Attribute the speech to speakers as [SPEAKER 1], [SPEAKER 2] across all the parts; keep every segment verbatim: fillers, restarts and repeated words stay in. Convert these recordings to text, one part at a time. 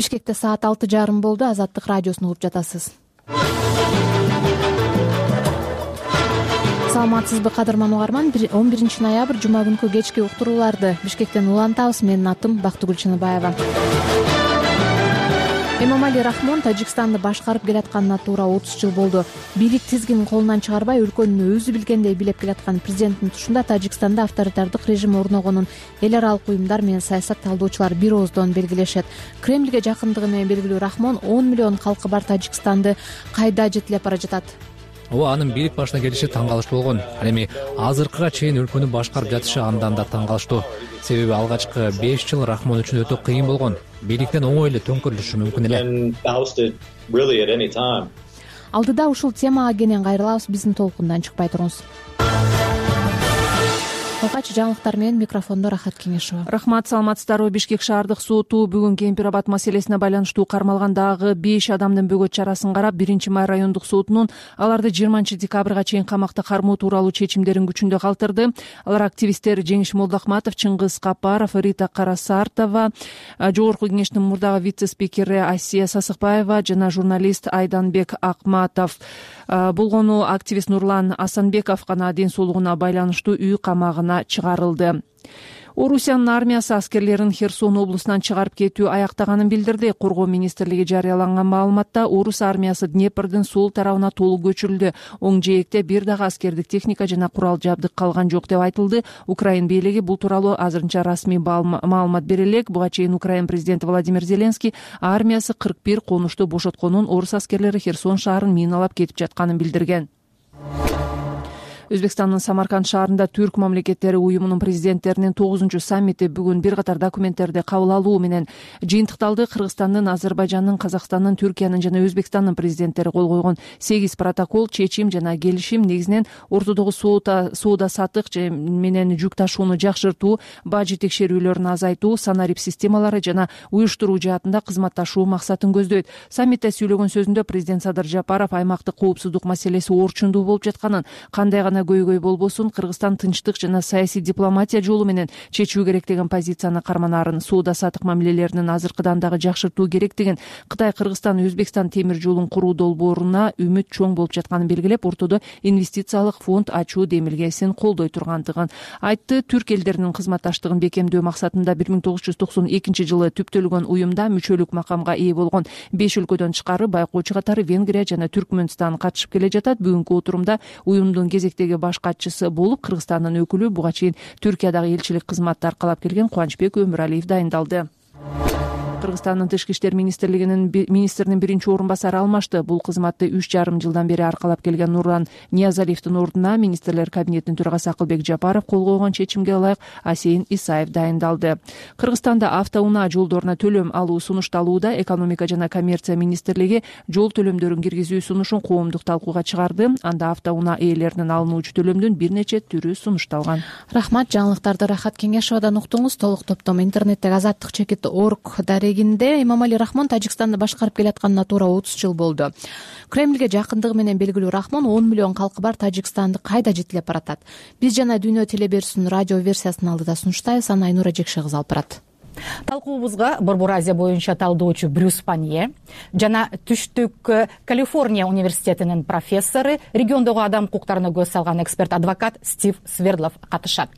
[SPEAKER 1] Бишкекте саат алты жарым болду. Азаттык радиосун угуп жатасыз. Саламатсызбы кадырман угарман. он биринчи ноябрь жума күнкү кечки уктурууларды Бишкектен улантабыз. Менин атым Бактыгүл Чыныбаева. Эмомали Рахмон Тажикстанды башкарып келатканына туура отуз жыл болду. Бийлик тизгинин колунан чыгарбай, өлкөнү өзү билгендей билеп келаткан президенттин тушунда Тажикстанда авторитардык режим орногонун эл аралык уюмдар менен саясат талдоочулар бир ооздон белгилешет. Кремльге жакындыгы менен белгилүү Рахмон он миллион калкы бар Тажикстанды кайда жетилеп бара жатат?
[SPEAKER 2] Ооба, анын бийлик башына келиши таң калыштуу болгон. Ал эми азыркыга чейин өлкөнү башкарып жатышы андан да таң калыштуу. Себеби алгачкы беш жыл Рахмон үчүн өтө кыйын болгон. Бийликтен оңой эле төңкөрүлүшү мүмкүн эле.
[SPEAKER 1] Алдыда ушул темага кенен кайрылабыз. Биздин толкундан чыкпай туруңуз. Калкачы жаңылыктар менен микрофондо Рахат Кеңешова.
[SPEAKER 3] Рахмат, саламатсыздарбы? Бишкек шаардык соту бүгүн Кемпир абад маселесине байланыштуу кармалган дагы беш адамдын бөгөт чарасын карап, биринчи май райондук сотунун аларды жыйырманчы декабрга чейин камакта кармоо тууралуу чечимдерин күчүндө калтырды. Алар активисттер Жеңиш Молдоахматов, Чыңгыз Капаров, Рита Карасартова, Жогорку кеңештин мурдагы вице-спикери Асия Сасыкбаева жана журналист Айданбек Акматов болгону. Активист Нурлан Асанбеков гана ден соолугуна байланыштуу үй камагына чыгарылды. Орусиянын армиясы аскерлерин Херсон облусунан чыгарып кетүү аяктаганын билдирди. Коргоо министрлиги жарыялаган маалыматта Орус армиясы Днепрдин сол тарабына толук көчүрүлдү. Оң жээкте бир дагы аскердик техника жана курал жабдык калган жок деп айтылды. Украин бийлиги бул тууралуу азырынча расмий маалымат бере элек. Буга чейин Украин президенти Владимир Зеленский армиясы кырк бир конушту бошотконун, орус аскерлери Херсон шаарын миналап кетип жатканын билдирген. Өзбекстандын Самарканд шаарында Түрк мамлекеттери уюмунун президенттеринин тогузунчу саммити бүгүн бир катар документтерди кабыл алуу менен жыйынтыкталды. Кыргызстандын, Азербайжандын, Казакстандын, Түркиянын жана Өзбекстандын президенттери кол койгон сегиз протокол, чечим жана келишим негизинен ортодогу соода сатык менен жүк ташууну жакшыртуу, бажы текшерүүлөрүн азайтуу, санарип системалары жана уюштуруу жаатында кызматташуу максатын көздөйт. Саммитте сүйлөгөн сөзүндө президент Садыр Жапаров аймактык коопсуздук маселеси орчундуу болуп жатканын, кандай гана көйгөй болбосун Кыргызстан тынчтык жана саясий дипломатия жолу менен чечүү керек деген позицияны карманаарын, соода сатык мамилелеринин азыркыдан дагы жакшыртуу керектигин, Кытай, Кыргызстан, Өзбекстан темир жолун куруу долбооруна үмүт чоң болуп жатканын белгилеп, ортодо инвестициялык фонд ачуу демилгесин колдой тургандыгын айтты. Түрк элдеринин кызматташтыгын бекемдөө максатында бир миң тогуз жүз токсон экинчи жылы түптөлгөн уюмда мүчөлүк макамга ээ болгон беш өлкөдөн тышкары байкоочу катары Венгрия жана Түркмөнстан катышып келе жатат. Бүгүнкү отурумда уюмдун кезектеги баш катчысы болуп Кыргызстандын өкүлү, буга чейин Түркиядагы элчилик кызматты аркалап келген Кубанычбек Өмүралиев дайындалды. Кыргызстандын Тышкы иштер министрлигинин министринин биринчи орун басары алмашты. Бул кызматты үч жарым жылдан бери аркалап келген Нурлан Ниязалиевдин ордуна министрлер кабинетинин төрагасы Акылбек Жапаров кол койгон чечимге ылайык Асейин Исаев дайындалды. Кыргызстанда автоунаа жолдоруна төлөм алуу сунушталууда. Экономика жана коммерция министрлиги жол төлөмдөрүн киргизүү сунушун коомдук талкууга чыгарды. Анда автоунаа ээлеринен алынуучу төлөмдүн бир нече түрү сунушталган.
[SPEAKER 1] Рахмат, жаңылыктарды Рахат Кеңешовадан уктуңуз. Толук топтом интернеттеги азаттык чекит точка орг дарегинде Эмомали Рахмон Тажикстанды башкарып келатканына туура отуз жыл болду. Кремльге жакындыгы менен белгилүү Рахмон он миллион калкы бар Тажикстанды кайда жетилеп баратат? Биз жана Дүйнө телеберүүсүнүн радио версиясын алдыда сунуштайбыз. Аны Айнура Жекше кызы алып барат.
[SPEAKER 4] Талкуубузга Борбор Азия боюнча талдоочу Брюс Панье жана Түштүк Калифорния университетинин профессору, региондогу адам укуктарына көз салган эксперт адвокат Стив Свердлов катышат.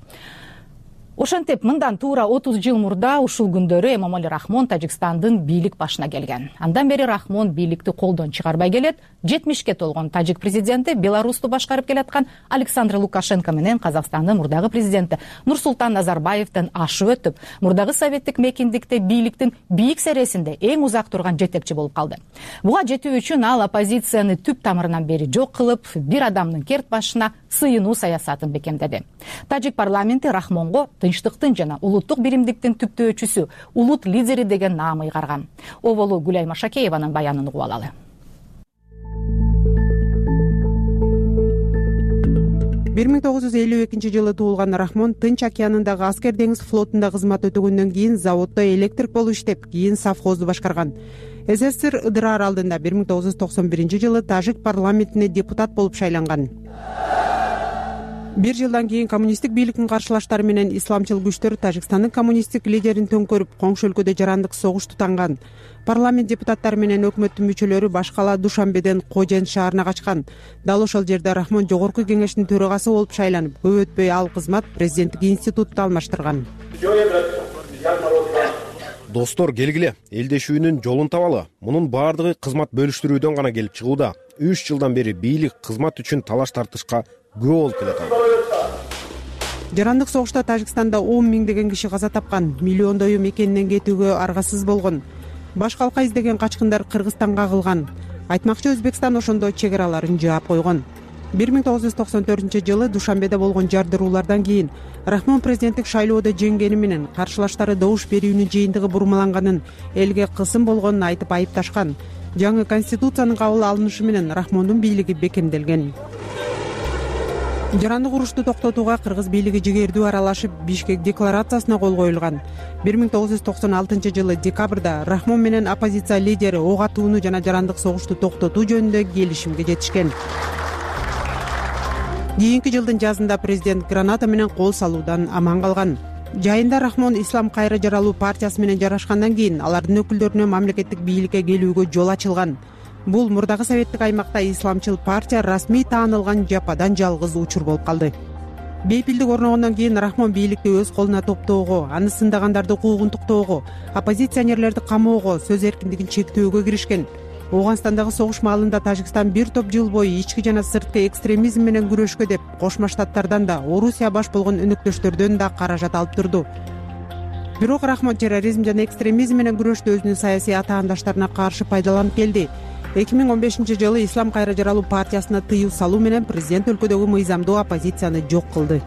[SPEAKER 4] Ошентип, мындан туура отуз жыл мурда ушул күндөрү Эмомали Рахмон Тажикстандын бийлик башына келген. Андан бери Рахмон бийликти колдон чыгарбай келет. жетимишке толгон тажик президенти Беларусту башкарып келаткан Александр Лукашенко менен Казакстандын мурдагы президенти Нурсултан Назарбаевден ашып өтүп, мурдагы советтик мекендикте бийликтин бийик сересинде эң узак турган жетекчи болуп калды. Буга жетүү үчүн ал оппозицияны түп тамырынан бери жок кылып, бир адамдын керт башына сыйынуу саясатын бекемдеди. Тажик парламенти Рахмонго тынчтыктын жана улуттук биримдиктин түптөөчүсү, улут лидери деген наам ыйгарган. Оболу Гүлай Машакееванын баянын угуп алалы.
[SPEAKER 5] бир миң тогуз жүз элүү экинчи жылы туулган Рахмон Тынч океанындагы аскер деңиз флотунда кызмат өтөгөндөн кийин заводдо электрик болуп иштеп, кийин совхозду башкарган. СССР Ыдыр аралдында бир миң тогуз жүз токсон биринчи жылы тажик парламентине депутат болуп шайланган. бир жылдан кийин коммунисттик бийликтин каршылаштары менен исламчыл күчтөр Тажикстандын коммунисттик лидерин төңкөрүп, коңшу өлкөдө жарандык согуш тутанган. Парламент депутаттары менен өкмөттүн мүчөлөрү баш кала Душанбеден Кожен шаарына качкан. Дал ошол жерде Рахмон жогорку кеңештин төрагасы болуп шайланып, көп өтпөй ал кызмат президенттик институтта алмаштырган.
[SPEAKER 6] Достор, келгиле, элдешүүнүн жолун табалы. Мунун баардыгы кызмат бөлүштүрүүдөн гана келип чыгууда. үч жылдан бери бийлик кызмат үчүн талаш тартышка күбө болуп келатат.
[SPEAKER 5] Жарандык согушта Тажикстанда он миңдеген киши каза тапкан, миллиондою мекенинен кетүүгө аргасыз болгон. Баш калка издеген качкындар Кыргызстанга агылган. Айтмакчы, Өзбекстан ошондо чек араларын жаап койгон. бир миң тогуз жүз токсон төртүнчү жылы Душанбеде болгон жардыруулардан кийин Рахмон президенттик шайлоодо жеңгени менен каршылаштары добуш берүүнүн жыйынтыгы бурмаланганын, элге кысым болгонун айтып айыпташкан. Жаңы конституциянын кабыл алынышы менен Рахмондун бийлиги бекемделген. Жарандык урушту токтотууга кыргыз бийлиги жигердүү аралашып, Бишкек декларациясына кол коюлган. бир миң тогуз жүз токсон алтынчы жылы декабрда Рахмон менен оппозиция лидери ок атууну жана жарандык согушту токтотуу жөнүндө келишимге жетишкен. Кийинки жылдын жазында президент граната менен кол салуудан аман калган. Жайында Рахмон Ислам кайра жаралуу партиясы менен жарашкандан кийин алардын өкүлдөрүнө мамлекеттик бийликке келүүгө жол ачылган. Бул мурдагы советтик аймакта исламчыл партия расмий таанылган жападан жалгыз учур болуп калды. Бейпилдик орногондон кийин Рахмон бийликти өз колуна топтоого, аны сындагандарды куугунтуктоого, оппозиционерлерди камоого, сөз эркиндигин чектөөгө киришкен. Ооганстандагы согуш маалында Тажикстан бир топ жыл бою ички жана сырткы экстремизм менен күрөшкө деп Кошмо Штаттардан да, Орусия баш болгон өнөктөштөрдөн да каражат алып турду. Бирок Рахмон терроризм жана экстремизм менен күрөштө өзүнүн саясий атаандаштарына каршы пайдаланып келди. эки миң он бешинчи жылы Ислам кайра жаралуу партиясына тыюу салуу менен президент өлкөдөгү мыйзамдуу оппозицияны жок кылды.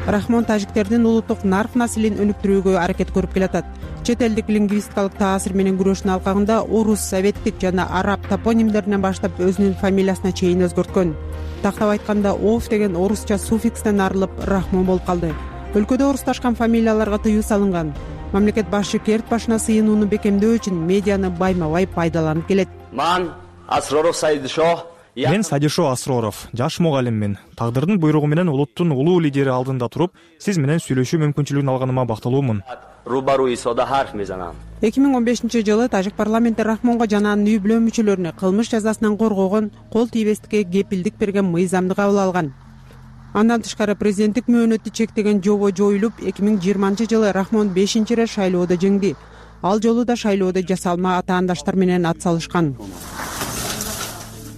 [SPEAKER 5] Рахмон тажиктердин улуттук нарк наслин өнүктүрүүгө аракет көрүп келатат. Чет элдик лингвистикалык таасир менен күрөштүн алкагында орус, советтик жана араб топонимдеринен баштап өзүнүн фамилиясына чейин өзгөрткөн. Тактап айтканда, Ов деген орусча суффикстен арылып Рахмон болуп калды. Өлкөдө орусташкан фамилияларга тыюу салынган. Мамлекет башчы керт башына сыйынууну бекемдөө үчүн медианы байма-бай пайдаланып келет.
[SPEAKER 7] Мен Асроров Сайдишо.
[SPEAKER 8] Мен Сайдишо Асроров, жаш мугалиммин. Тагдырдын буйругу менен улуттун улуу лидери алдында туруп, сиз менен сүйлөшүү мүмкүнчүлүгүн алганыма бактылуумун.
[SPEAKER 5] эки миң он бешинчи жылы тажик парламенти Рахмонго жана анын үй бүлө мүчөлөрүнө кылмыш жазасынан коргогон, кол тийбестикке кепилдик берген мыйзамды кабыл алган. Андан тышкары президенттик мөөнөттү чектеген жобо жоюлуп, эки миң жыйырманчы жылы Рахмон бешинчи ирет шайлоодо жеңди. Ал жолу да шайлоодо жасалма атаандаштар менен ат салышкан.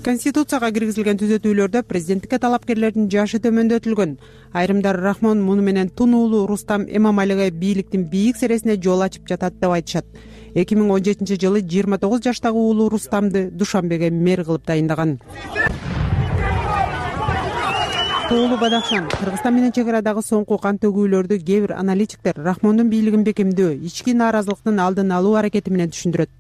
[SPEAKER 5] Конституцияга киргизилген түзөтүүлөрдө президенттикке талапкерлердин жашы төмөндөтүлгөн. Айрымдар Рахмон муну менен тун уулу Рустам Эмомалиге бийликтин бийик сересине жол ачып жатат деп айтышат. эки миң он жетинчи жылы жыйырма тогуз жаштагы уулу Рустамды Душанбеге мэр кылып дайындаган. Тоолу Бадахшан, Кыргызстан менен чек арадагы соңку кан төгүүлөрдү кээ бир аналитиктер Рахмондун бийлигин бекемдөө, ички нааразылыктын алдын алуу аракети менен түшүндүрөт.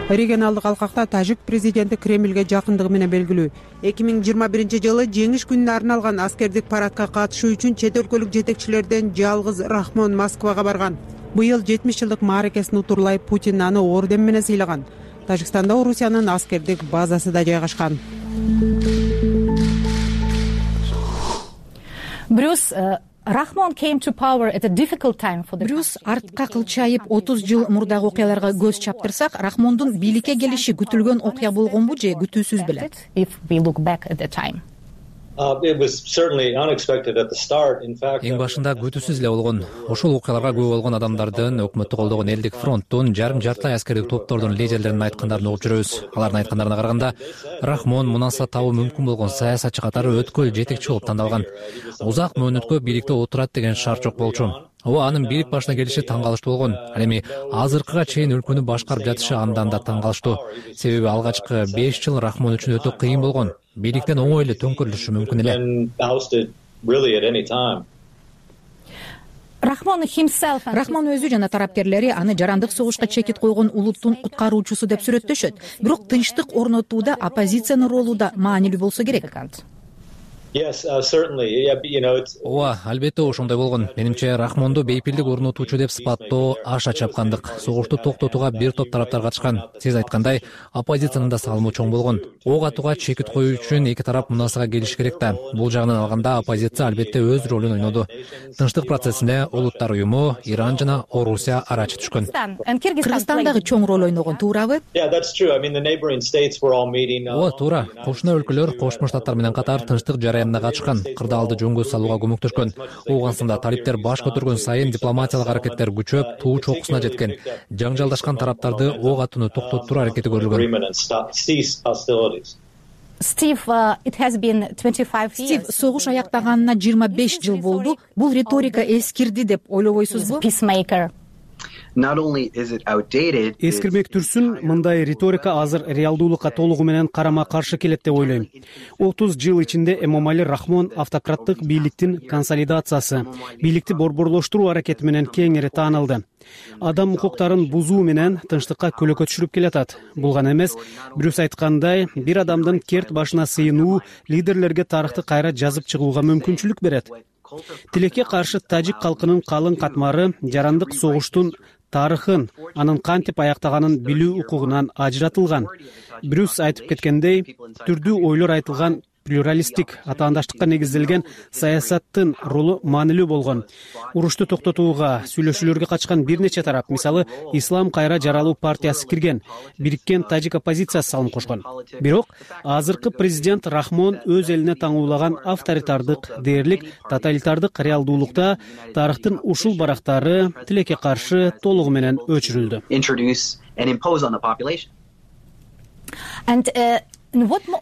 [SPEAKER 5] Регионалдык алкакта тажик президенти Кремльге жакындыгы менен белгилүү. эки миң жыйырма биринчи жылы жеңиш күнүнө арналган аскердик парадка катышуу үчүн чет өлкөлүк жетекчилерден жалгыз Рахмон Москвага барган. Быйыл жетимиш жылдык мааракесин утурлай Путин аны орден менен сыйлаган. Тажикстанда Орусиянын аскердик базасы да жайгашкан.
[SPEAKER 4] Брюс
[SPEAKER 9] Брюс артка кылчайып отуз жыл мурдагы окуяларга көз чаптырсак, Рахмондун бийликке келиши күтүлгөн окуя болгонбу же күтүүсүз беле?
[SPEAKER 2] Эң башында күтүүсүз эле болгон. Ошол окуяларга күбө болгон адамдардын, өкмөттү колдогон элдик фронттун, жарым жартылай аскердик топтордун лидерлеринин айткандарын угуп жүрөбүз. Алардын айткандарына караганда, Рахмон мунаса табуу мүмкүн болгон саясатчы катары өткөл жетекчи болуп тандалган. Узак мөөнөткө бийликте отурат деген шарт жок болчу. Ооба, анын бийлик башына келиши таң калыштуу болгон. Ал эми азыркыга чейин өлкөнү башкарып жатышы андан да таң калыштуу. Себеби алгачкы беш жыл Рахмон үчүн өтө кыйын болгон. Бийликтен оңой эле төңкөрүлүшү мүмкүн эле.
[SPEAKER 9] Рахмон өзү жана тараптерлери аны жарандык согушка чекит койгон улуттун куткаруучусу деп сүрөттөшөт. Бирок тынчтык орнотууда оппозициянын ролу да маанилүү болсо керек.
[SPEAKER 2] ооба, албетте ошондой болгон. Менимче Рахмонду бейпилдик орнотуучу деп сыпаттоо аша чапкандык. Согушту токтотууга бир топ тараптар катышкан. Сиз айткандай, оппозициянын да салымы чоң болгон. Ок атууга чекит коюу үчүн эки тарап мунасага келиш керек да. Бул жагынан алганда оппозиция албетте өз ролун ойноду. Тынчтык процессине Улуттар уюму, Иран жана Орусия арачы түшкөн.
[SPEAKER 9] Кыргызстан дагы чоң роль ойногон, туурабы?
[SPEAKER 2] Ооба, туура. Кошуна өлкөлөр Кошмо Штаттар менен катар тынчтык жараянына катышкан, кырдаалды жөнгө салууга көмөктөшкөн. Ооганстанда талиптер баш көтөргөн сайын дипломатиялык аракеттер күчөп, туу чокусуна жеткен. Жаңжалдашкан тараптарды ок атууну токтоттуруу аракети көрүлгөн.
[SPEAKER 4] Стив,
[SPEAKER 9] Стив, согуш аяктаганына жыйырма беш жыл болду. Бул риторика эскирди деп ойлобойсузбу?
[SPEAKER 10] Эскирмектүрсүн, мындай риторика азыр реалдуулукка толугу менен карама каршы келет деп ойлойм. отуз жыл ичинде Эмомали Рахмон автократтык бийликтин консолидациясы, бийликти борборлоштуруу аракети менен кеңири таанылды. Адам укуктарын бузуу менен тынчтыкка көлөкө түшүрүп келатат. Бул гана эмес, бирөөсү айткандай, бир адамдын керт башына сыйынуу лидерлерге тарыхты кайра жазып чыгууга мүмкүнчүлүк берет. Тилекке каршы тажик калкынын калың катмары жарандык согуштун тарыхын, анын кантип аяктаганын билүү укугунан ажыратылган. Брюс айтып кеткендей, түрдүү ойлор айтылган плюралисттик, атаандаштыкка негизделген саясаттын ролу маанилүү болгон. Урушту токтотууга, сүйлөшүүлөргө катышкан бир нече тарап, мисалы, Ислам кайра жаралуу партиясы кирген, бириккен тажик оппозициясы салым кошкон. Бирок азыркы президент Рахмон өз элине таңуулаган авторитардык, дээрлик, тоталитардык реалдуулукта тарыхтын ушул барактары тилекке каршы толугу менен өчүрүлдү.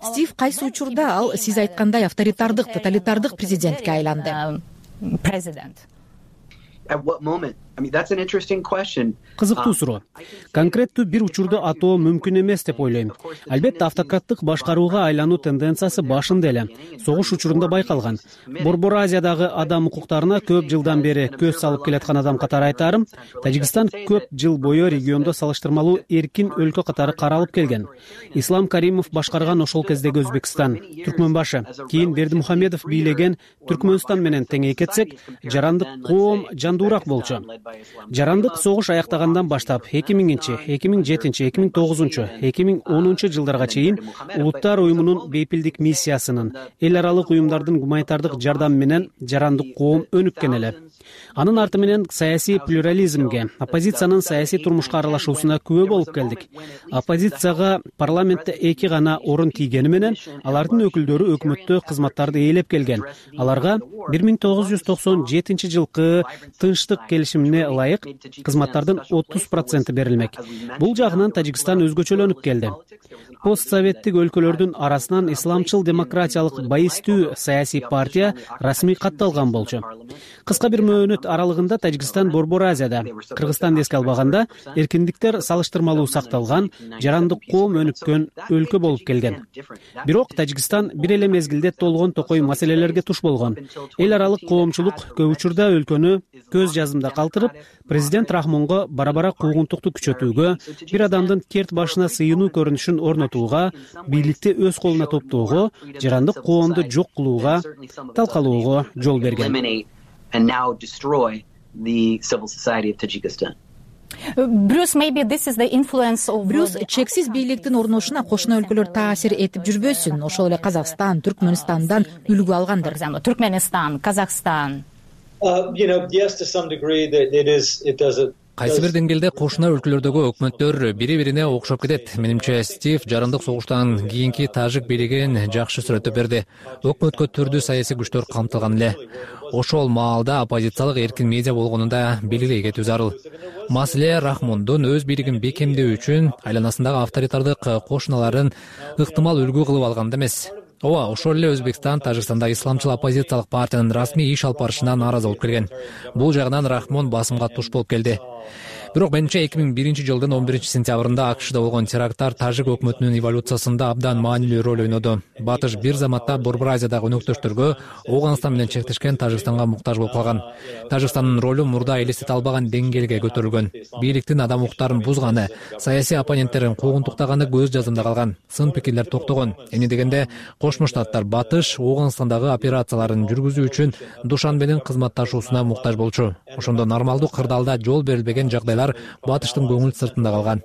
[SPEAKER 9] Стив, кайсы учурда ал сиз айткандай авторитардык, тоталитардык президентке айланды?
[SPEAKER 10] Кызыктуу суроо. Конкреттүү бир учурду атоо мүмкүн эмес деп ойлойм. Албетте автократтык башкарууга айлануу тенденциясы башында эле согуш учурунда байкалган. Борбор Азиядагы адам укуктарына көп жылдан бери көз салып келаткан адам катары айтарым, Тажикстан көп жыл бою региондо салыштырмалуу эркин өлкө катары каралып келген. Ислам Каримов башкарган ошол кездеги Өзбекстан, Түркмөнбашы, кийин Бердимухамедов бийлеген Түркмөнстан менен теңей кетсек, жарандык коом жандуураак болчу. Жарандык согуш аяктагандан баштап эки миңинчи, эки миң жетинчи, эки миң тогузунчу, эки миң онунчу жылдарга чейин Улуттар уюмунун бейпилдик миссиясынын, эл аралык уюмдардын гуманитардык жардамы менен жарандык коом өнүккөн эле. Анын арты менен саясий плюрализмге, оппозициянын саясий турмушка аралашуусуна күбө болуп келдик. Оппозицияга парламентте эки гана орун тийгени менен алардын өкүлдөрү өкмөттө кызматтарды ээлеп келген. Аларга бир миң тогуз жүз токсон жетинчи жылкы тынчтык келишимине ылайык кызматтардын отуз проценти берилмек. Бул жагынан Тажикстан өзгөчөлөнүп келди. Постсоветтик өлкөлөрдүн арасынан исламчыл демократиялык байыстүү саясий партия расмий катталган болчу. Кыска бир мөөнөт аралыгында Тажикстан Борбор Азияда, Кыргызстанды эске албаганда, эркиндиктер салыштырмалуу сакталган, жарандык коом өнүккөн өлкө болуп келген. Бирок Тажикстан бир эле мезгилде толгон токой маселелерге туш болгон. Эл аралык коомчулук көп учурда өлкөнү көз жазымда калтырып, президент Рахмонго бара-бара куугунтукту күчөтүүгө, бир адамдын керт башына сыйынуу көрүнүшүн орнотууга, бийликти өз колуна топтоого, жарандык коомду жок кылууга, талкалоого жол берген.
[SPEAKER 9] Брюс, чексиз бийликтин орношуна кошуна өлкөлөр таасир этип жүрбөсүн, ошол эле Казакстан, Түркмөнстандан үлгү алгандыр.
[SPEAKER 4] Түркмөнстан, Казакстан.
[SPEAKER 2] Кайсы бир деңгээлде кошуна өлкөлөрдөгү өкмөттөр бири-бирине окшоп кетет. Менимче Стив жарандык согуштан кийинки тажик бийлигин жакшы сүрөттөп берди. Өкмөткө түрдүү саясий күчтөр камтылган эле. Ошол маалда оппозициялык эркин медиа болгонун да белгилей кетүү зарыл. Маселе Рахмондун өз бийлигин бекемдөө үчүн айланасындагы авторитардык кошуналарын ыктымал үлгү кылып алганда эмес. Ооба, ошол эле Өзбекстан Тажикстанда исламчыл оппозициялык партиянын расмий иш алып барышына нааразы болуп келген. Бул жагынан Рахмон басымга туш болуп келди. бирок менимче эки миң биринчи жылдын он биринчи сентябрында акшда болгон теракттар тажик өкмөтүнүн эволюциясында абдан маанилүү роль ойноду. Батыш бир заматта Борбор Азиядагы өнөктөштөргө Ооганстан менен чектешкен Тажикстанга муктаж болуп калган. Тажикстандын ролу мурда элестете албаган деңгээлге көтөрүлгөн. Бийликтин адам укуктарын бузганы, саясий оппоненттерин куугунтуктаганы көз жазымда калган. Сын пикирлер токтогон. Эмне дегенде Кошмо Штаттар Батыш Ооганстандагы операцияларын жүргүзүү үчүн Душанбенин кызматташуусуна муктаж болчу. Ошондо нормалдуу кырдаалда жол берилбеген жагдайлар Батыштын көңүл сыртында калган.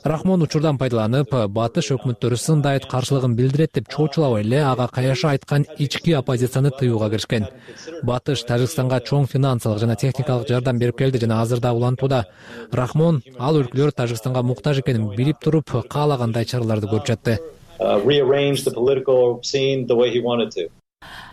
[SPEAKER 2] Рахмон учурдан пайдаланып, Батыш өкмөттөрү сындайт каршылыгын билдирет деп чоочулабай эле ага каяша айткан ички оппозицияны тыюуга киришкен. Батыш Тажикстанга чоң финансылык жана техникалык жардам берип келди жана азыр да улантууда. Рахмон ал өлкөлөр Тажикстанга муктаж экенин билип туруп, каалагандай чараларды көрүп жатты.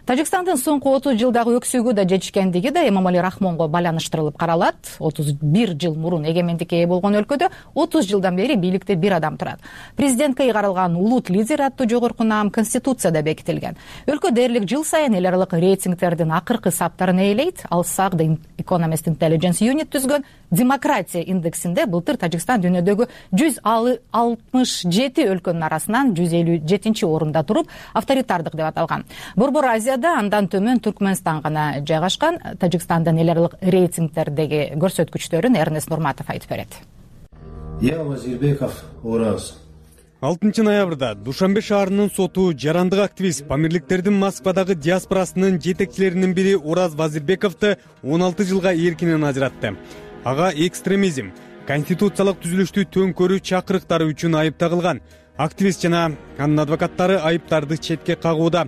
[SPEAKER 4] Тажикстандын соңку отуз жылдагы өксүгүү да жетишкендиги да Эмомали Рахмонго байланыштырылып каралат. отуз бир жыл мурун эгемендикке ээ болгон өлкөдө отуз жылдан бери бийликте бир адам турат. Президентке ыйгарылган улут лидер аттуу жогорку наам Конституцияда бекитилген. Өлкө дээрлик жыл сайын эл аралык рейтингтердин акыркы саптарын ээлейт. Ал сак The Economist Intelligence Unit түзгөн демократия индексинде былтыр Тажикстан дүйнөдөгү жүз алтымыш жети өлкөнүн арасынан жүз элүү жетинчи орунда туруп, авторитардык деп аталган. Борбор Азияда андан төмөн Түркмөнстан гана жайгашкан. Тажикстандын эл аралык рейтингтердеги көрсөткүчтөрүн Эрнест Нурматов айтып берет.
[SPEAKER 11] Я Вазирбеков Ораз.
[SPEAKER 12] алтынчы ноябрда Душанбе шаарынын соту жарандык активист Памирликтердин Москвадагы диаспорасынын жетекчилеринин бири Ораз Вазирбековду он алты жылга эркинен ажыратты. Ага экстремизм, конституциялык түзүлүштү төңкөрүү чакырыктары үчүн айыпталган. Активист жана анын адвокаттары айыптарды четке кагууда.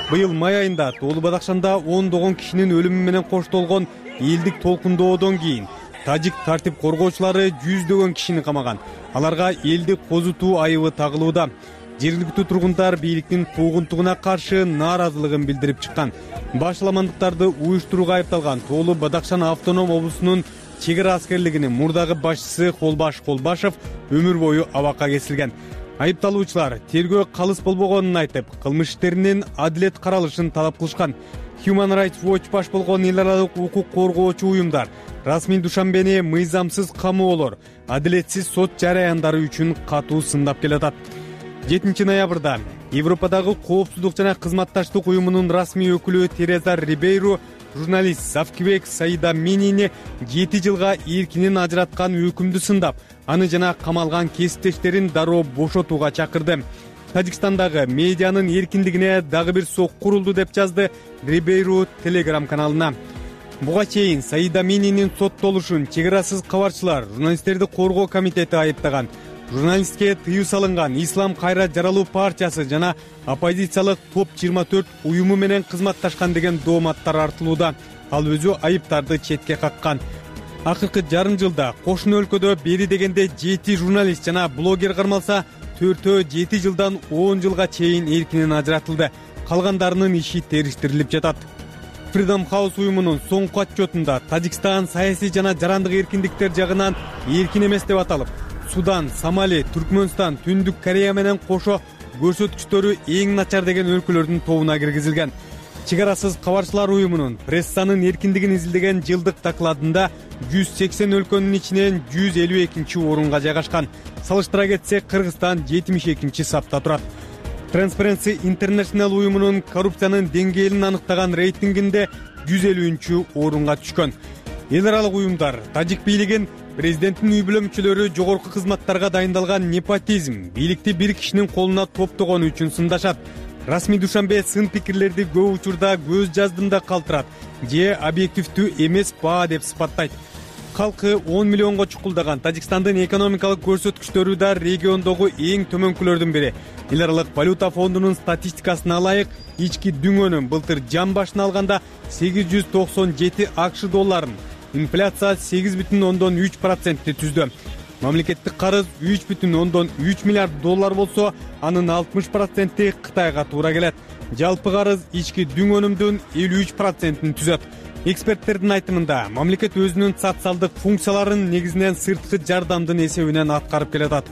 [SPEAKER 12] Быйыл май айында Тоолу Бадакшанда ондогон кишинин өлүмү менен коштолгон элдик толкундоодон кийин тажик тартип коргоочулары жүздөгөн кишини камаган. Аларга элдик козутуу айыбы тагылууда. Жергиликтүү тургундар бийликтин куугунтугуна каршы нааразылыгын билдирип чыккан. Башаламандыктарды уюштурууга айыпталган Тоолу Бадакшан автоном облусунун чек ара аскерлигинин мурдагы башчысы Холбаш Холбашев өмүр бою абакка кесилген. Айыпталуучулар тергөө калыс болбогонун айтып, кылмыш иштеринин адилет каралышын талап кылышкан. Human Rights Watch баш болгон эл аралык укук коргоочу уюмдар расмий Душанбени мыйзамсыз камоолор, адилетсиз сот жараяндары үчүн катуу сындап келатат. жетинчи ноябрда Европадагы коопсуздук жана кызматташтык уюмунун расмий өкүлү Тереза Рибейру журналист Савкибек Саида Минини жети жылга эркинен ажыраткан өкүмдү сындап, аны жана камалган кесиптештерин дароо бошотууга чакырды. Тажикстандагы медианын эркиндигине дагы бир сок курулду деп жазды Рибейру Telegram каналына. Буга чейин Саида Мининин соттолушун чек арасыз кабарчылар журналисттерди коргоо комитети айыптаган. Журналистке тыюу салынган Ислам кайра жаралуу партиясы жана оппозициялык топ жыйырма төрт уюму менен кызматташкан деген дооматтар артылууда. Ал өзү айыптарды четке каккан. Акыркы жарым жылда кошуна өлкөдө бери дегенде жети журналист жана блогер кармалса, төртөө жети жылдан он жылга чейин эркинен ажыратылды. Калгандарынын иши териштирилип жатат. Freedom House уюмунун соңку отчетунда Тажикстан саясий жана жарандык эркиндиктер жагынан эркин эмес деп аталып, Судан, Сомали, Түркмөнстан, Түндүк Корея менен кошо көрсөткүчтөрү эң начар деген өлкөлөрдүн тобуна киргизилген. Чек арасыз кабарчылар уюмунун прессанын эркиндигин изилдеген жылдык докладында жүз сексен өлкөнүн ичинен жүз элүү экинчи орунга жайгашкан. Салыштыра кетсек, Кыргызстан жетимиш экинчи сапта турат. Transparency International уюмунун коррупциянын деңгээлин аныктаган рейтингинде жүз элүүнчү орунга түшкөн. Эл аралык уюмдар тажик бийлигин президенттин үй бүлө мүчөлөрү жогорку кызматтарга дайындалган непотизм, бийликти бир кишинин колуна топтогону үчүн сындашат. Расмий Душанбе сын пикирлерди көп учурда көз жаздымда калтырат же объективдүү эмес баа деп сыпаттайт. Калкы он миллионго чукулдаган Тажикстандын экономикалык көрсөткүчтөрү да региондогу эң төмөнкүлөрдүн бири. Эл аралык валюта фондунун статистикасына ылайык, ички дүңөнүн былтыр жан башына алганда сегиз жүз токсон жети акш долларын, инфляция сегиз бүтүн ондон үч процентти түздү. Мамлекеттик карыз үч бүтүн ондон үч миллиард доллар болсо, анын алтымыш проценти Кытайга туура келет. Жалпы карыз ички дүң өнүмдүн элүү үч процентин түзөт. Эксперттердин айтымында, мамлекет өзүнүн социалдык функцияларын негизинен сырткы жардамдын эсебинен аткарып келатат.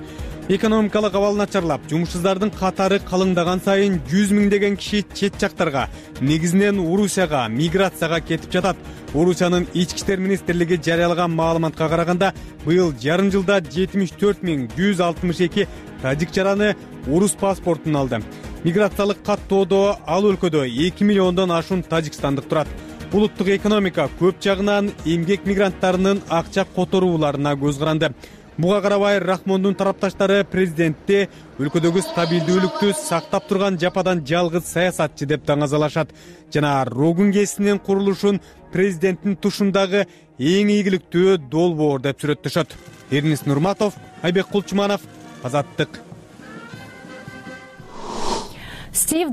[SPEAKER 12] экономикалык абал начарлап, жумушсуздардын катары калыңдаган сайын жүз миңдеген киши чет жактарга, негизинен Орусияга миграцияга кетип жатат. Орусиянын ички иштер министрлиги жарыялаган маалыматка караганда, быйыл жарым жылда жетимиш төрт миң жүз алтымыш эки тажик жараны орус паспортун алды. Миграциялык каттоодо ал өлкөдө эки миллиондон ашуун тажикстандык турат. Улуттук экономика көп жагынан эмгек мигранттарынын акча которууларына көз каранды. Буга карабай Рахмондун тарапташтары президентти өлкөдөгү стабилдүүлүктү сактап турган жападан жалгыз саясатчы деп таңазалашат жана Рогун КСинин курулушун президенттин тушундагы эң ийгиликтүү долбоор деп сүрөттөшөт. Эрнис Нурматов, Айбек Кулчуманов, Азаттык.
[SPEAKER 4] Стив,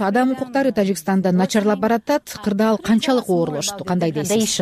[SPEAKER 9] адам укуктары Тажикстанда начарлап баратат. Кырдаал канчалык оорлошту? Кандай дейсиз?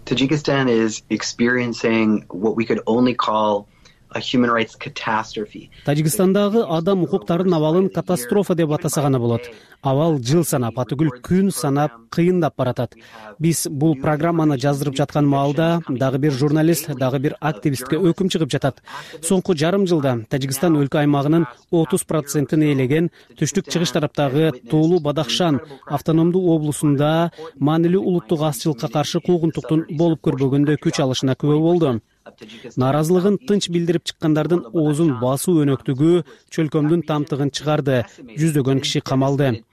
[SPEAKER 13] Tajikistan is experiencing what we could only call a human rights catastrophe.
[SPEAKER 10] Тажикстандагы адам укуктарынын абалын катастрофа деп атаса гана болот. Абал жыл санап, атүгүл күн санап кыйындап баратат. Биз бул программаны жаздырып жаткан маалда дагы бир журналист, дагы бир активистке өкүм чыгып жатат. Соңку жарым жылда Тажикстан өлкө аймагынын отуз процентин ээлеген түштүк чыгыш тараптагы Тоолу Бадахшан автономдуу облусунда маанилүү улуттук азчылыкка каршы куугунтуктун болуп көрбөгөндө күч алышына күбө болду. Наразылыгын тынч билдирип чыккандардын оозун басуу өнөктүгү чөлкөмдүн тамтыгын чыгарды. Жүздөгөн киши камалды.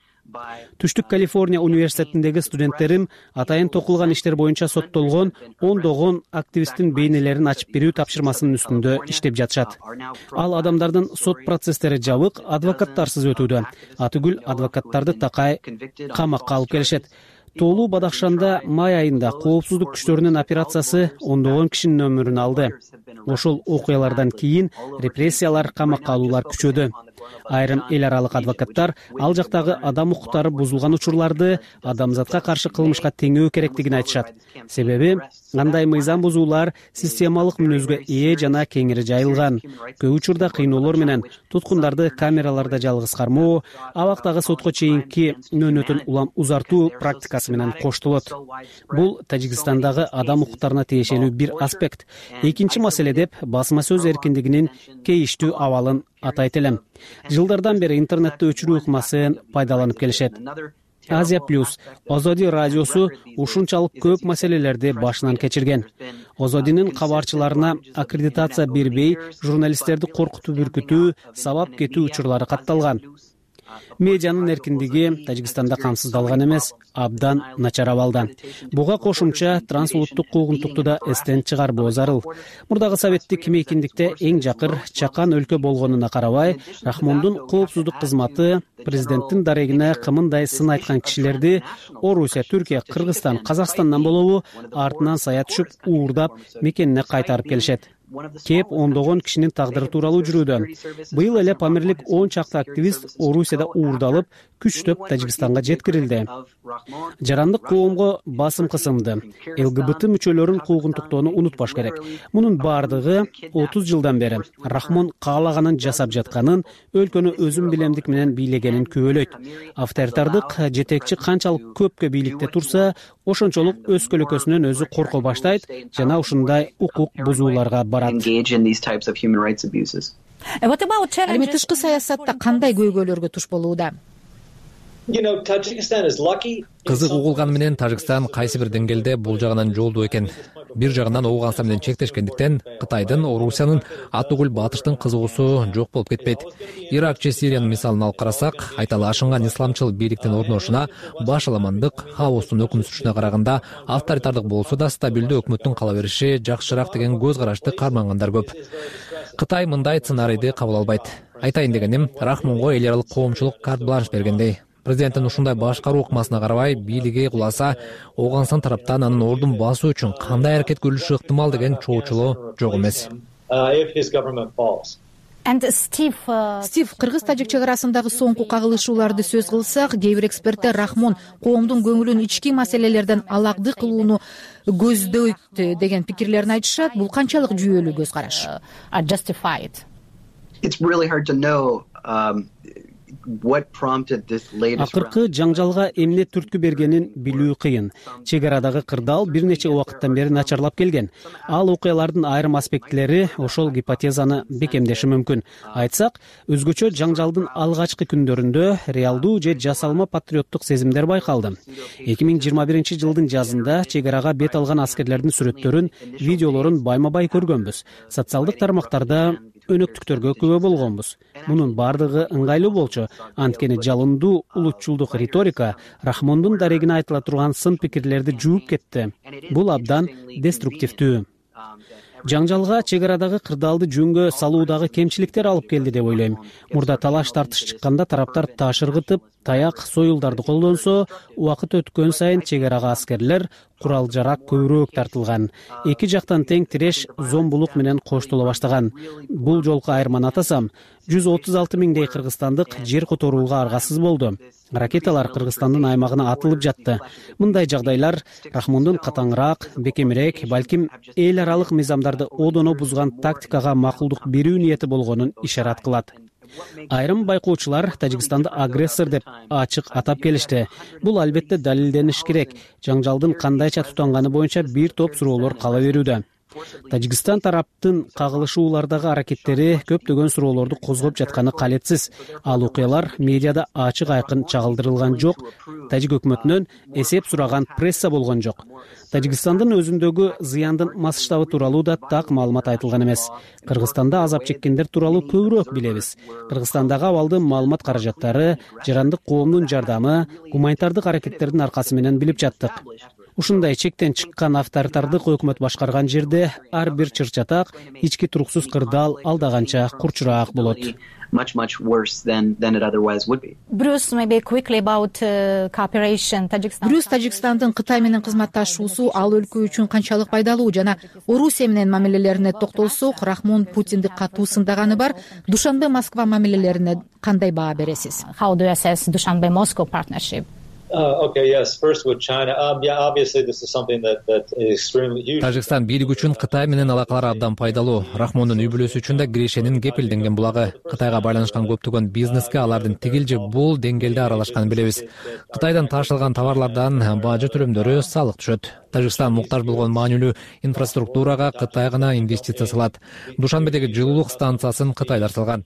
[SPEAKER 10] Түштүк Калифорния университетиндеги студенттерим атайын токулган иштер боюнча соттолгон ондогон активисттин бейнелерин ачып берүү тапшырмасынын үстүндө иштеп жатышат. Ал адамдардын сот процесстери жабык, адвокаттарсыз өтүүдө. Атүгүл адвокаттарды такай камакка алып келишет. Тоолу Бадахшанда май айында коопсуздук күчтөрүнүн операциясы ондогон кишинин өмүрүн алды. Ошол окуялардан кийин репрессиялар, камакка алуулар күчөдү. Айрым эл аралык адвокаттар ал жактагы адам укуктары бузулган учурларды адамзатка каршы кылмышка теңөө керектигин айтышат. Себеби андай мыйзам бузуулар системалык мүнөзгө ээ жана кеңири жайылган. Көп учурда кыйноолор менен туткундарды камераларда жалгыз кармоо, абактагы сотко чейинки мөөнөтүн улам узартуу практикасы менен коштолот. Бул Тажикстандагы адам укуктарына тиешелүү бир аспект. Экинчи маселе деп басма сөз эркиндигинин кейиштүү абалын атайт элем. Жылдардан бери интернетти өчүрүү ыкмасын пайдаланып келишет. Азия плюс, Озоди радиосу ушунчалык көп маселелерди башынан кечирген. Озодинин кабарчыларына аккредитация бербей, журналисттерди коркутуп үркүтүү, сабап кетүү учурлары катталган. Медианын эркиндиги Тажикстанда камсыздалган эмес, абдан начар абалда. Буга кошумча трансулуттук куугунтукту да эстен чыгарбоо зарыл. Мурдагы советтик мейкиндикте эң жакыр чакан өлкө болгонуна карабай, Рахмондун коопсуздук кызматы президенттин дарегине кымындай сын айткан кишилерди Орусия, Түркия, Кыргызстан, Казакстандан болобу артынан сая түшүп, уурдап мекенине кайтарып келишет. Кеп ондогон кишинин тагдыры тууралуу жүрүүдө. Быйыл эле Памирлик он чакты активист Орусияда уурдалып, күчтөп Тажикстанга жеткирилди. Жарандык коомго басым кысымды. ЛГБТ мүчөлөрүн куугунтуктоону унутпаш керек. Мунун бардыгы отуз жылдан бери Рахмон каалаганын жасап жатканын, өлкөнү өзүн билемдик менен бийлегенин күбөлөйт. Авторитардык жетекчи канчалык көпкө бийликте турса, ошончолук өз көлөкөсүнөн өзү корко баштайт жана ушундай укук бузууларга барат.
[SPEAKER 9] Эми тышкы саясатта кандай көйгөйлөргө туш болууда?
[SPEAKER 2] Кызык угулганы менен Тажикстан кайсы бир деңгээлде бул жагынан жолдуу экен. Бир жагынан Ооганстан менен чектешкендиктен Кытайдын, Орусиянын атүгүл батыштын кызыгуусу жок болуп кетпейт. Ирак же Сириянын мисалын алып карасак, айталы ашынган исламчыл бийликтин орношуна башаламандык, хаостун өкүм сүрүшүнө караганда авторитардык болсо да стабилдүү өкмөттүн кала бериши жакшыраак деген көз карашты кармангандар көп. Кытай мындай сценарийди кабыл албайт. Айтайын дегеним, Рахмонго эл аралык коомчулук карт-бланш бергендей. Президенттин ушундай башкаруу ыкмасына карабай бийлиги куласа, Ооганстан тараптан анын ордун басуу үчүн кандай аракет көрүлүшү ыктымал деген чоочулоо жок эмес.
[SPEAKER 9] Стив, кыргыз-тажик чек арасындагы соңку кагылышууларды сөз кылсак, кээ бир эксперттер Рахмон коомдун көңүлүн ички маселелерден алагды кылууну көздөйт деген пикирлерин айтышат. Бул канчалык жүйөлүү көз караш?
[SPEAKER 10] акыркы жаңжалга эмне түрткү бергенин билүү кыйын. Чек арадагы кырдаал бир нече убакыттан бери начарлап келген. Ал окуялардын айрым аспектилери ошол гипотезаны бекемдеши мүмкүн. Айтсак, өзгөчө жаңжалдын алгачкы күндөрүндө реалдуу же жасалма патриоттук сезимдер байкалды. эки миң жыйырма биринчи жылдын жазында чек арага бет алган аскерлердин сүрөттөрүн, видеолорун байма-бай көргөнбүз. Социалдык тармактарда өнөктүктөргө күбө болгонбуз. Мунун бардыгы ыңгайлуу болчу, анткени жалындуу улутчулдук риторика Рахмондун дарегине айтыла турган сын пикирлерди жууп кетти. Бул абдан деструктивдүү. Жаңжалга чек арадагы кырдаалды жөнгө салуудагы кемчиликтер алып келди деп ойлойм. Мурда талаш тартыш чыкканда тараптар таш ыргытып, таяк, союлдарды колдонсо, убакыт өткөн сайын чек арага аскерлер, курал-жарак көбүрөөк тартылган. Эки жактан тең тиреш зомбулук менен коштоло баштаган. Бул жолку айырманы атасам, жүз отуз алты миңдей кыргызстандык жер которууга аргасыз болду. Ракеталар Кыргызстандын аймагына атылып жатты. Мындай жагдайлар Рахмондун катаңыраак, бекемирээк, балким эл аралык мыйзамдарды одоно бузган тактикага макулдук берүү ниети болгонун ишарат кылат. Айрым байкоочулар Тажикстанды агрессор деп ачык атап келишти. Бул албетте далилдениш керек. Жаңжалдын кандайча тутанганы боюнча бир топ суроолор кала берүүдө. Тажикстан тараптын кагылышуулардагы аракеттери көптөгөн суроолорду козгоп жатканы калетсиз. Ал окуялар медиада ачык айкын чагылдырылган жок. Тажик өкмөтүнөн эсеп сураган пресса болгон жок. Тажикстандын өзүндөгү зыяндын масштабы тууралуу да так маалымат айтылган эмес. Кыргызстанда азап чеккендер тууралуу көбүрөөк билебиз. Кыргызстандагы абалды маалымат каражаттары, жарандык коомдун жардамы, гуманитардык аракеттердин аркасы менен билип жаттык. Ушундай чектен чыккан авторитардык өкмөт башкарган жерде ар бир чыр-чатак, ички туруксуз кырдаал алдаганча курчураак болот.
[SPEAKER 13] Much, much worse than, than it otherwise would be.
[SPEAKER 4] Bruce, maybe quickly about uh, cooperation. Tajikistan.
[SPEAKER 9] Брюс Тажикстандын Кытай менен кызматташуусу ал өлкө үчүн канчалык пайдалуу жана Орусия менен мамилелерине токтолсок, Рахмон Путинди катуу сындаганы бар. Душанбе Москва мамилелерине кандай баа бересиз?
[SPEAKER 4] How do you assess Dushanbe Moscow partnership?
[SPEAKER 2] Тажикстан бийлиги үчүн Кытай менен алакалар абдан пайдалуу. Рахмондун үй бүлөсү үчүн да Греченин кепилденген булагы. Кытайга байланышкан көптөгөн бизнеске алардын тигил же бул деңгээлде аралашканын билебиз. Кытайдан ташылган товарлардан бажы төлөмдөрү салык түшөт. Тажикстан муктаж болгон маанилүү инфраструктурага Кытай гана инвестиция салат. Душанбедеги жылуулук станциясын Кытайлар салган.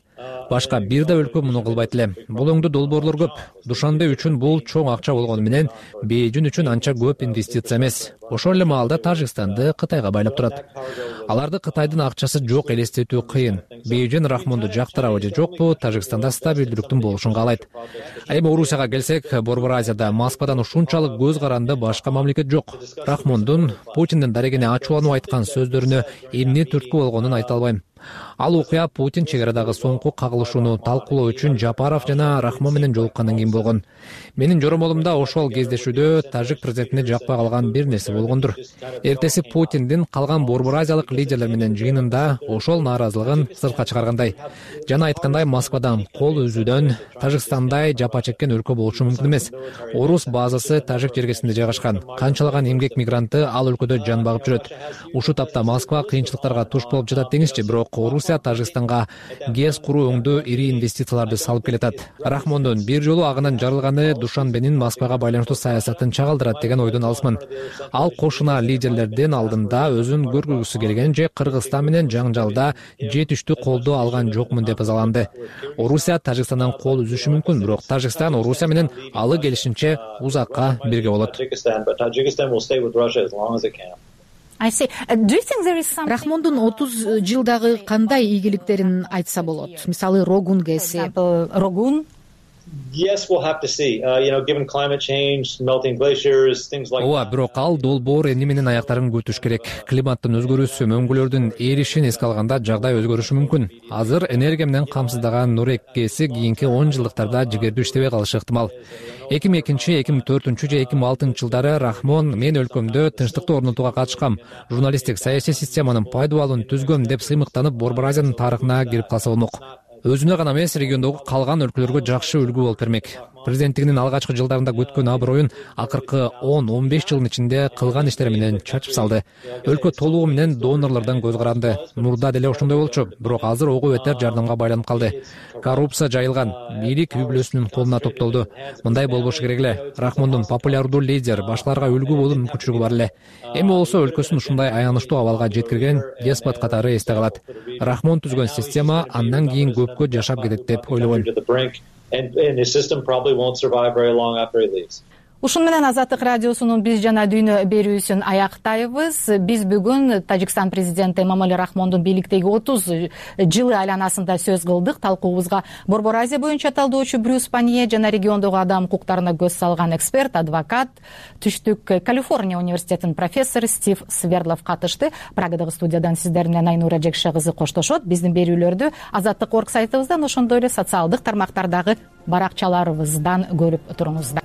[SPEAKER 2] Башка бир да өлкө муну кылбайт эле. Бул өңдө долбоорлор көп. Душанбе үчүн бул чоң акча болгону менен Бейжин үчүн анча көп инвестиция эмес. Ошол эле маалда Тажикстанды Кытайга байлап турат. Аларды Кытайдын акчасы жок элестетүү кыйын. Бейжин Рахмонду жактырабы же жокпу, Тажикстанда стабилдүүлүктүн болушун каалайт. А эми Орусияга келсек, Борбор Азияда Москвадан ушунчалык көз каранды башка мамлекет жок. Рахмондун Путиндин дарегине ачууланып айткан сөздөрүнө эмне түрткү болгонун айта албайм. Ал окуя Путин чек арадагы соңку кагылышууну талкуулоо үчүн Жапаров жана Рахмон менен жолуккандан кийин болгон. Менин жоромолумда ошол кездешүүдө тажик президентине жакпай калган бир нерсе болгондур. Эртеси Путиндин калган Борбор Азиялык лидерлер менен жыйынында ошол нааразылыгын сыртка чыгаргандай. Жана айткандай, Москвадан кол үзүүдөн Тажикстандай жапа чеккен өлкө болушу мүмкүн эмес. Орус базасы тажик жергесинде жайгашкан. Канчалаган эмгек мигранты ал өлкөдө жан багып жүрөт. Ушул тапта Москва кыйынчылыктарга туш болуп жатат деңизчи, бирок Орусия Тажикстанга ГЭС куруу өңдө ири инвестицияларды салып келатат. Рахмондун бир жолу агынан жарылганы Душанбенин Москвага байланыштуу саясатын чагылдырат деген ойдон алысмын. Ал кошуна лидерлердин алдында өзүн көргүзгүсү келген же Кыргызстан менен жаңжалда жетиштүү колдоо алган жокмун деп азаланды. Орусия Тажикстандан кол үзүшү мүмкүн, бирок Тажикстан Орусия менен алы келишинче узакка бирге болот.
[SPEAKER 9] Рахмондун отуз жылдагы кандай ийгиликтерин айтса болот? Мисалы, Рогун ГЭСи.
[SPEAKER 4] Рогун
[SPEAKER 2] Ооба, бирок ал долбоор эмне менен аяктарын күтүш керек. Климаттын өзгөрүүсү, мөңгүлөрдүн эришин эске алганда жагдай өзгөрүшү мүмкүн. Азыр энергия менен камсыздаган Нурек ГЭСи кийинки он жылдыктарда жигердүү иштебей калышы ыктымал. эки миң экинчи, эки миң төртүнчү же эки миң алтынчы жылдары Рахмон мен өлкөмдө тынчтыкты орнотууга катышкам, журналисттик саясий системанын пайдубалын түзгөм деп сыймыктанып Борбор Азиянын тарыхына кирип калса болмок. Өзүнө гана эмес, региондогу калган өлкөлөргө жакшы үлгү болуп бермек. президенттигинин алгачкы жылдарында күткөн аброюн акыркы он он беш жылдын ичинде кылган иштери менен чачып салды. Өлкө толугу менен донорлордон көз каранды. Мурда деле ошондой болчу, бирок азыр ого бетер жардамга байланып калды. Коррупция жайылган, бийлик үй бүлөсүнүн колуна топтолду. Мындай болбошу керек эле. Рахмондун популярдуу лидер, башкаларга үлгү болуу мүмкүнчүлүгү бар эле. Эми болсо өлкөсүн ушундай аянычтуу абалга жеткирген деспот катары эсте калат. Рахмон түзгөн система андан кийин көпкө жашап кетет деп ойлобойм.
[SPEAKER 4] Ушун менен Азаттык радиосунун Биз жана дүйнө берүүсүн аяктайбыз. Биз бүгүн Тажикстан президенти Эмомали Рахмондун бийликтеги отуз жылы айланасында сөз кылдык. Талкуубузга Борбор Азия боюнча талдоочу Брюс Панье жана региондогу адам укуктарына көз салган эксперт, адвокат, Түштүк Калифорния университетинин профессору Стив Свердлов катышты. Прагадагы студиядан сиздер менен Айнура Жекше кызы коштошот. Биздин берүүлөрдү азаттык орг сайтыбыздан, ошондой эле социалдык тармактардагы баракчаларыбыздан көрүп туруңуздар.